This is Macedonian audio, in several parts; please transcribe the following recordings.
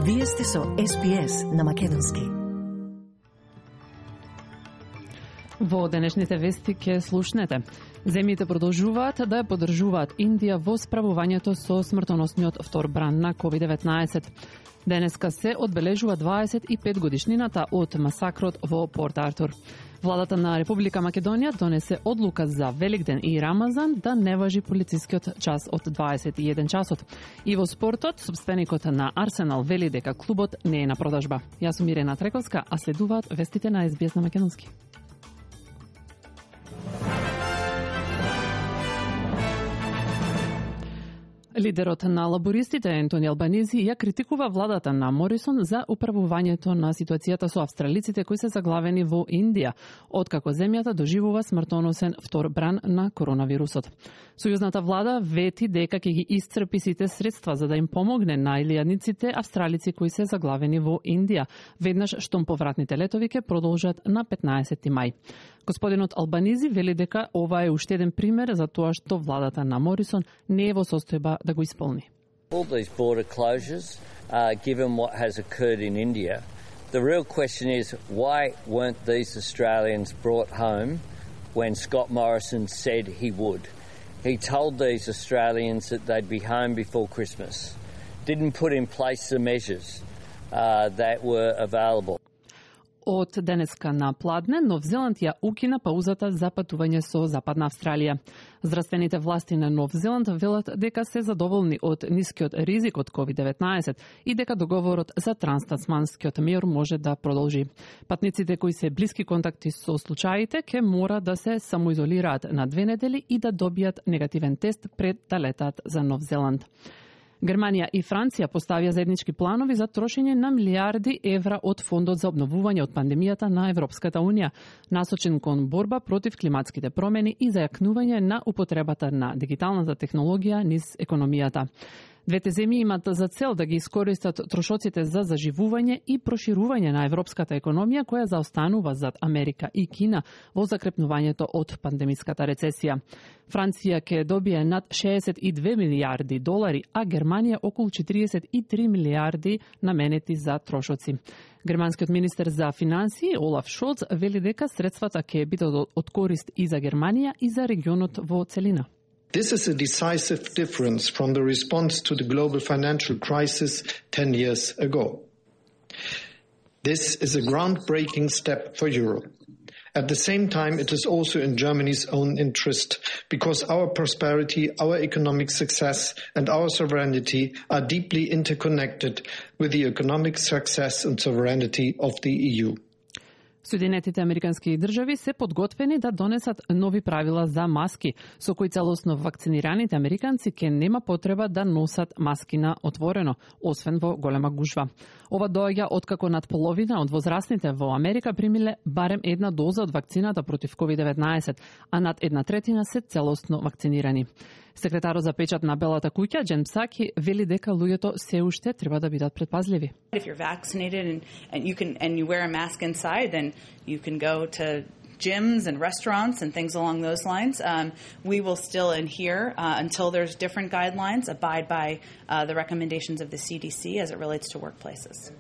Вие сте со СПС на Македонски. Во денешните вести ќе слушнете. Земјите продолжуваат да ја поддржуваат Индија во справувањето со смртоносниот втор бран на COVID-19. Денеска се одбележува 25 годишнината од масакрот во Порт Артур. Владата на Република Македонија донесе одлука за Великден и Рамазан да не важи полицискиот час од 21 часот. И во спортот, собственикот на Арсенал вели дека клубот не е на продажба. Јас сум Ирена Трековска, а следуваат вестите на СБС на Македонски. Лидерот на лабористите Ентони Албанези ја критикува владата на Морисон за управувањето на ситуацијата со австралиците кои се заглавени во Индија, откако земјата доживува смртоносен втор бран на коронавирусот. Сојузната влада вети дека ќе ги исцрпи сите средства за да им помогне на илјадниците австралици кои се заглавени во Индија, веднаш штом повратните летови ќе продолжат на 15 мај. Господинот Албанези вели дека ова е уште еден пример за тоа што владата на Морисон не е во состојба да го исполни. All these border closures, given what has occurred in India, the real question is why weren't these Australians brought home when Scott Morrison said he would? He told these Australians that they'd be home before Christmas. Didn't put in place the measures that were available. Од денеска на пладне, Нов Зеланд ја укина паузата за патување со Западна Австралија. Здравствените власти на Нов Зеланд велат дека се задоволни од нискиот ризик од COVID-19 и дека договорот за транстасманскиот мир може да продолжи. Патниците кои се блиски контакти со случаите ќе мора да се самоизолираат на 2 недели и да добијат негативен тест пред да летат за Нов Зеланд. Германија и Франција поставија заеднички планови за трошење на милиарди евра од фондот за обновување од пандемијата на Европската унија, насочен кон борба против климатските промени и зајакнување на употребата на дигиталната технологија низ економијата. Двете земји имат за цел да ги искористат трошоците за заживување и проширување на европската економија која заостанува зад Америка и Кина во закрепнувањето од пандемиската рецесија. Франција ќе добие над 62 милијарди долари, а Германија околу 43 милијарди наменети за трошоци. Германскиот министер за финансии Олаф Шолц вели дека средствата ќе бидат од корист и за Германија и за регионот во целина. This is a decisive difference from the response to the global financial crisis 10 years ago. This is a groundbreaking step for Europe. At the same time, it is also in Germany's own interest because our prosperity, our economic success and our sovereignty are deeply interconnected with the economic success and sovereignty of the EU. Соединетите Американски држави се подготвени да донесат нови правила за маски, со кои целосно вакцинираните американци ќе нема потреба да носат маски на отворено, освен во голема гужва. Ова доаѓа откако над половина од возрастните во Америка примиле барем една доза од вакцината против COVID-19, а над 1/3 се целосно вакцинирани. Секретарот за печат на Белата куќа, Джен Псаки, вели дека луѓето се уште треба да бидат предпазливи. If you're vaccinated and you wear a mask inside, then you can go to gyms and restaurants and things along those lines. We will still adhere until there's different guidelines, abide by the recommendations of the CDC as it relates to workplaces.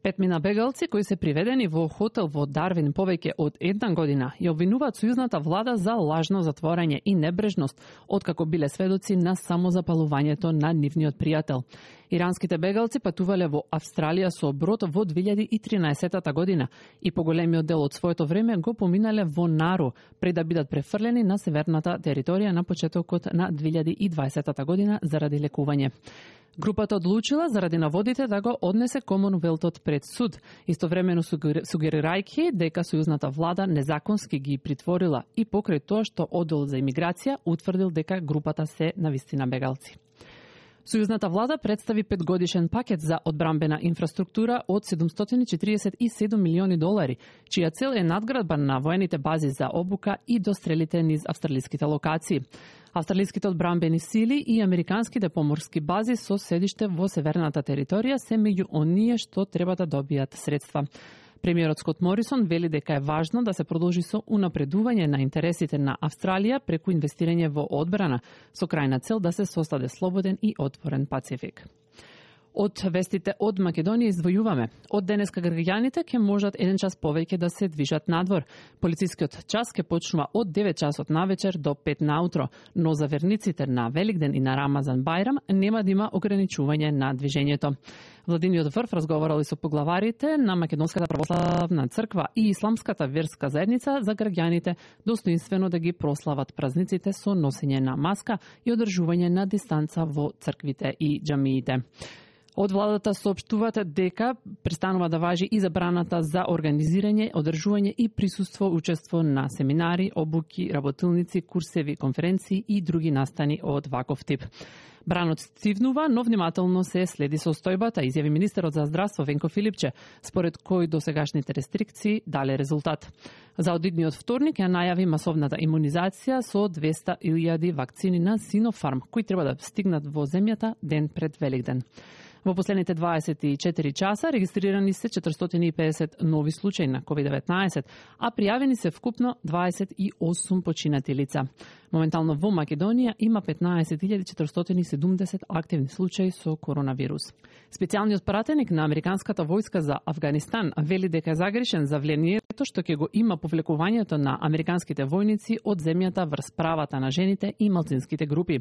5 бегалци кои се приведени во хотел во Дарвин повеќе од 1 година ја обвинуваат сојузната влада за лажно затворање и небрежност, откако биле сведоци на самозапалувањето на нивниот пријател. Иранските бегалци патувале во Австралија со брод во 2013 година и поголемиот дел од своето време го поминале во Нару пред да бидат префрлени на северната територија на почетокот на 2020 година заради лекување. Групата одлучила заради наводите да го однесе Комонвелтот пред суд, истовремено сугерирајќи дека сојузната влада незаконски ги притворила и покрај тоа што оддел за имиграција утврдил дека групата се навистина бегалци. Сојузната влада представи 5-годишен пакет за одбрамбена инфраструктура од 747 милиони долари, чија цел е надградба на воените бази за обука и дострелите низ австралиските локации. Австралиските одбрамбени сили и американските поморски бази со седиште во северната територија се меѓу оние што треба да добијат средства. Премиерот Скот Морисон вели дека е важно да се продолжи со унапредување на интересите на Австралија преку инвестирање во одбрана, со крајна цел да се состави слободен и отворен Пацифик. Од вестите од Македонија извојуваме. Од денеска граѓаните ќе можат 1 час повеќе да се движат надвор. Полицискиот час ќе почнува од 9 часот навечер до 5 наутро, но за верниците на Великден и на Рамазан Бајрам нема да има ограничување на движењето. Владиниот врв разговарал и со поглаварите на Македонската православна црква и Исламската верска заедница за граѓаните достоинствено да ги прослават празниците со носење на маска и одржување на дистанца во црквите и џамиите. Од владата соопштуваат дека престанува да важи и забраната за организирање, одржување и присуство учество на семинари, обуки, работилници, курсеви, конференции и други настани од ваков тип. Бранот стивнува, но внимателно се следи состојбата, изјави министерот за здравство Венко Филипче, според кој досегашните рестрикции дале резултат. За одидниот вторник ја најави масовната имунизација со 200.000 вакцини на Синофарм, кои треба да стигнат во земјата ден пред Великден. Во последните 24 часа регистрирани се 450 нови случаи на COVID-19, а пријавени се вкупно 28 починати лица. Моментално во Македонија има 15.470 активни случаи со коронавирус. Специјалниот пратеник на Американската војска за Авганистан вели дека е загрешен за влијанието што ќе го има повлекувањето на американските војници од земјата врз правата на жените и малцинските групи.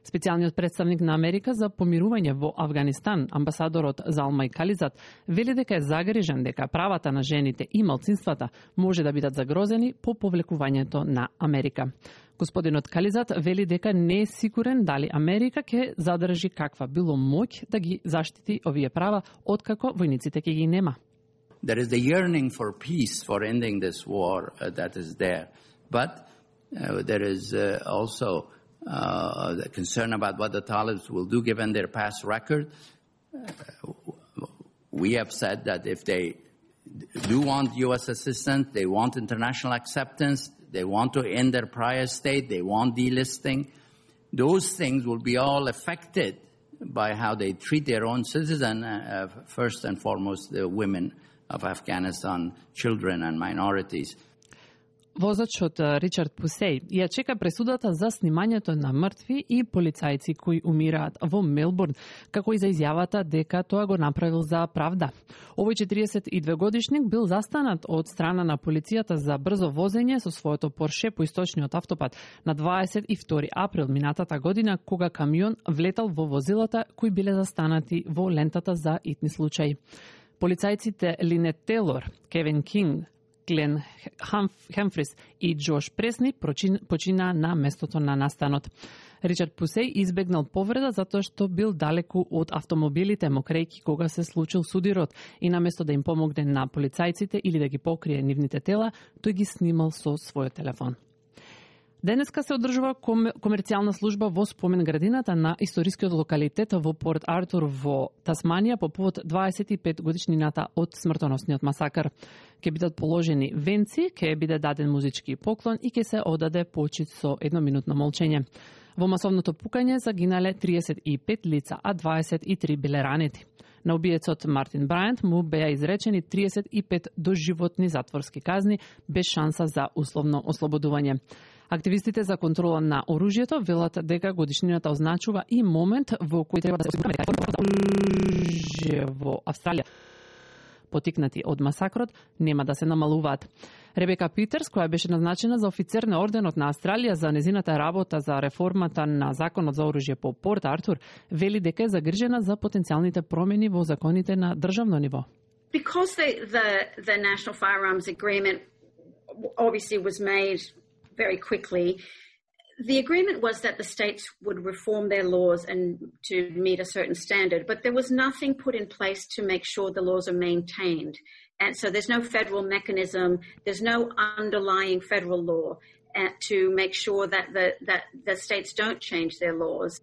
Специјалниот представник на Америка за помирување во Авганистан, амбасадорот Залмај Кализат, вели дека е загрижен дека правата на жените и малцинствата може да бидат загрозени по повлекувањето на Америка. Господинот Кализат вели дека не е сигурен дали Америка ќе задржи каква било моќ да ги заштити овие права откако војниците ќе ги нема. There is the yearning for peace, for ending this war that is there. But there is also the concern about what the Talibs will do given their past record. We have said that if they do want U.S. assistance, they want international acceptance, they want to end their prior state, they want delisting, those things will be all affected by how they treat their own citizens, first and foremost the women of Afghanistan, children and minorities. Возачот Ричард Пусеј ја чека пресудата за снимањето на мртви и полицајци кои умираат во Мелбурн, како и за изјавата дека тоа го направил за правда. Овој 42 годишник бил застанат од страна на полицијата за брзо возење со своето Порше по источниот автопат на 22 април минатата година, кога камион влетал во возилата кои биле застанати во лентата за итни случаи. Полицајците Линет Тейлор, Кевин Кинг, Глен Хемфрис и Джош Пресни почина на местото на настанот. Ричард Пусеј избегнал повреда затоа што бил далеку од автомобилите мокрејки кога се случил судирот и наместо да им помогне на полицајците или да ги покрие нивните тела, тој ги снимал со својот телефон. Денеска се одржува комерцијална служба во спомен градината на историскиот локалитет во Порт Артур во Тасманија по повод 25 годишнината од смртоносниот масакар. Ке бидат положени венци, ке биде даден музички поклон и ке се одаде почит со едноминутно молчење. Во масовното пукање загинале 35 лица, а 23 биле ранети. На убиецот Мартин Брајант му беа изречени 35 доживотни затворски казни без шанса за условно ослободување. Активистите за контрола на оружјето велат дека годишнината означува и момент во кој треба да се оружје во Австралија. Потикнати од масакрот нема да се намалуваат. Ребека Питерс, која беше назначена за офицер на орденот на Австралија за незината работа за реформата на законот за оружје по Порт Артур, вели дека е загрижена за потенцијалните промени во законите на државно ниво. Because the National Firearms Agreement obviously was made very quickly, the agreement was that the states would reform their laws and to meet a certain standard, but there was nothing put in place to make sure the laws are maintained. And so there's no federal mechanism, there's no underlying federal law to make sure that the states don't change their laws.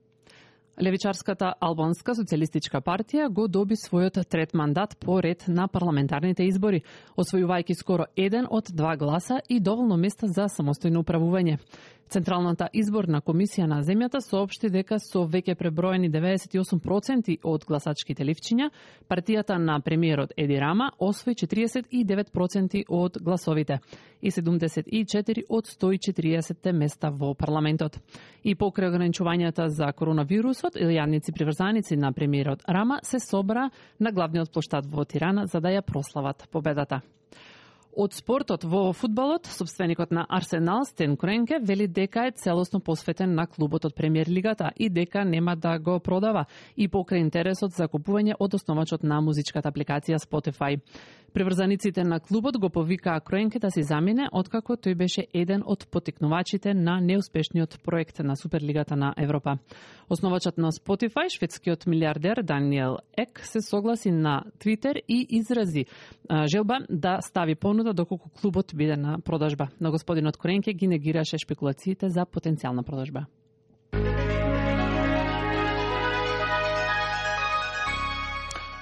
Левичарската Албанска социјалистичка партија го доби својот трет мандат по ред на парламентарните избори, освојувајќи скоро 1 од 2 гласа и доволно места за самостојно управување. Централната изборна комисија на земјата соопшти дека со веќе преброени 98% од гласачките ливчиња, партијата на премиерот Еди Рама освои 49% од гласовите и 74 од 140 места во парламентот. И покрај ограничувањата за коронавирусот, семејствот или јадници приврзаници на премиерот Рама се собра на главниот плоштад во Тирана за да ја прослават победата. Од спортот во фудбалот, собственикот на Арсенал, Стен Кренке, вели дека е целосно посветен на клубот од Премиер лигата и дека нема да го продава и покрај интересот за купување од основачот на музичката апликација Spotify. Приврзаниците на клубот го повикаа Кренке да си замине откако тој беше еден од потикнувачите на неуспешниот проект на Суперлигата на Европа. Основачот на Spotify, шведскиот милиардер Даниел Ек, се согласи на Твитер и изрази желба да стави понуда доколку клубот биде на продажба. Но господинот Кренке ги негираше шпекулациите за потенцијална продажба.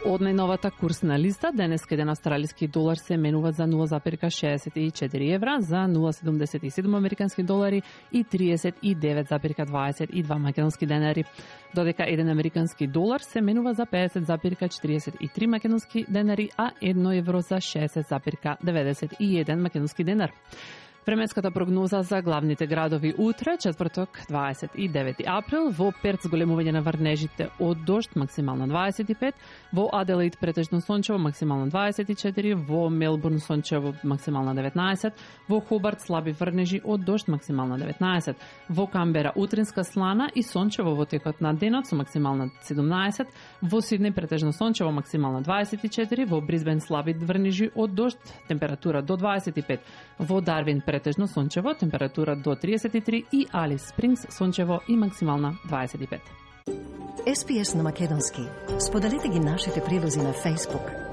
Од најновата курсна листа, денес еден австралиски долар се менува за 0,64 евра, за 0,77 американски долари и 39,22 македонски денари. Додека еден американски долар се менува за 50,43 македонски денари, а 1 евро за 60,91 македонски денар. Временската прогноза за главните градови утре, четврток, 29 април, во Перт зголемување на врнежите од дожд, максимално 25, во Аделаид претежно сончево, максимално 24, во Мелбурн сончево, максимално 19, во Хобарт слаби врнежи од дожд, максимално 19, во Камбера утринска слана и сончево во текот на денот со максимално 17, во Сиднеј претежно сончево, максимално 24, во Брисбен слаби врнежи од дожд, температура до 25, во Дарвин претежно сончево, температура до 33 и Алис Спрингс сончево и максимална 25. SPS на македонски. Споделете ги нашите прилози на Facebook.